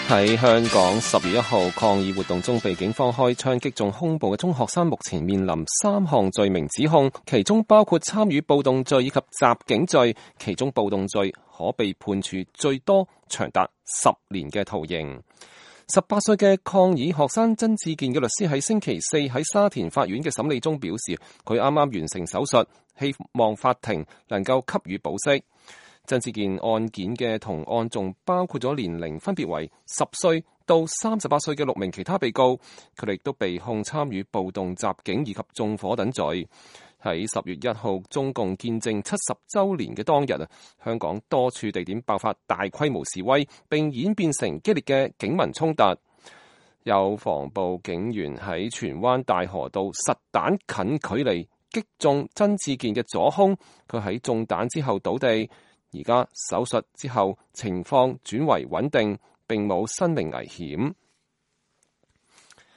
喺香港10月1號抗議活動中被警方開槍擊中胸部嘅中學生，目前面臨3項罪名指控，其中包括參與暴動罪以及襲警罪，其中暴動罪可被判處最多長達10年嘅徒刑。18歲嘅抗議學生曾志健嘅律師喺星期四喺沙田法院嘅審理中表示，佢啱啱完成手術，希望法庭能夠給予保釋。曾志健案件嘅同案仲包括咗年齡分別為10歲到38歲嘅6名其他被告，佢哋亦都被控參與暴動襲警以及縱火等罪。喺10月1號中共建政70週年嘅當日，香港多處地點爆發大規模示威，並演變成激烈嘅警民衝突。有防暴警員喺荃灣大河道實彈近距離擊中曾志健嘅左胸，佢喺中彈之後倒地。而家手術之後情況轉為穩定，並冇生命危險。